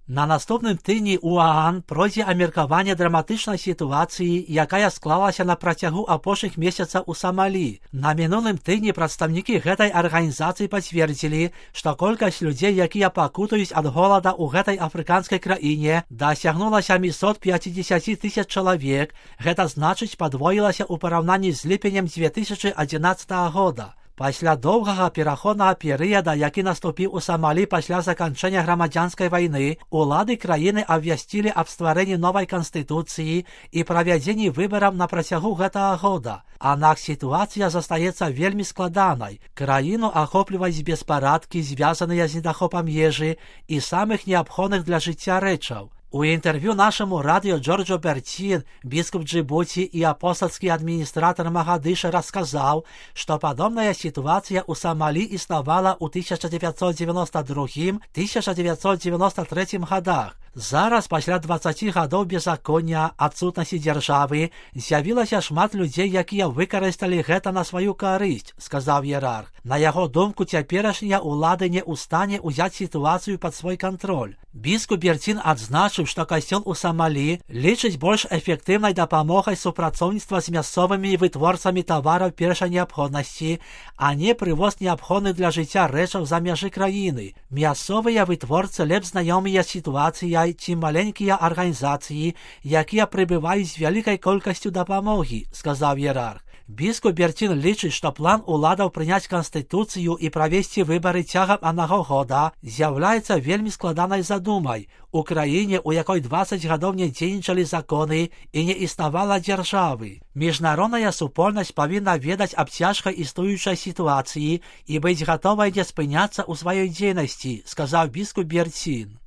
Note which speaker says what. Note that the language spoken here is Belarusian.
Speaker 1: На наступным тыдні ў ААН пройдзе абмеркаванне драматычнай сітуацыі, якая склалася на працягу апошніх месяцаў у Самалі. На мінулым тыдні прадстаўнікі гэтай арганізацыі пацвердзілі, што колькасць людзей, якія пакутаюць ад голада ў гэтай афрыканскай краіне, дасягнула 750 000 чалавек. Гэта значыць, падвоілася ў параўнанні з ліпенем 2011 года. Пасля доўгага пераходнага перыяда, які наступіў у Самалі пасля заканчэння грамадзянскай вайны, улады краіны абвясцілі аб стварэнні новай канстытуцыі і правядзенні выбараў на працягу гэтага года. Аднак сітуацыя застаецца вельмі складанай. Краіну ахопліваюць беспарадкі, звязаныя з недахопам ежы і самых неабходных для жыцця рэчаў. У інтэрв'ю нашаму радыё Джорджо Бертін, біскуп Джибуці і апостальскі адміністратар Магадыша расказаў, што падобная сітуацыя ў Самалі існавала ў 1992-1993 годах. Зараз, пасля 20 гадоў беззаконня, адсутнасці дзяржавы, з'явілася шмат людзей, якія выкарысталі гэта на сваю карысць, сказаў іерарх. На яго думку, цяперашнія ўлады не ў стане ўзяць сітуацыю пад свой кантроль. Біскуп Бертін адзначыў, што касцёл у Самалі лічыць больш эфектыўнай дапамогай супрацоўніцтва з мясцовымі вытворцамі тавараў першай неабходнасці, а не прывоз неабходных для жыцця рэчаў за мяжы краіны. Мясцовыя вытворцы лепш знаёмыя з сітуацыяй, ці маленькія арганізацыі, якія прыбываюць з вялікай колькасцю дапамогі, сказаў іерарх. Біскуп Бертін лічыць, што план уладаў прыняць канстытуцыю і правесці выбары цягам аднаго года з'яўляецца вельмі складанай задумай. У краіне, у якой 20 гадоў не дзейнічалі законы і не існавала дзяржавы. Міжнародная супольнасць павінна ведаць аб цяжкай існуючай сітуацыі і быць гатовай не спыняцца ў сваёй дзейнасці, сказаў біскуп Бертін.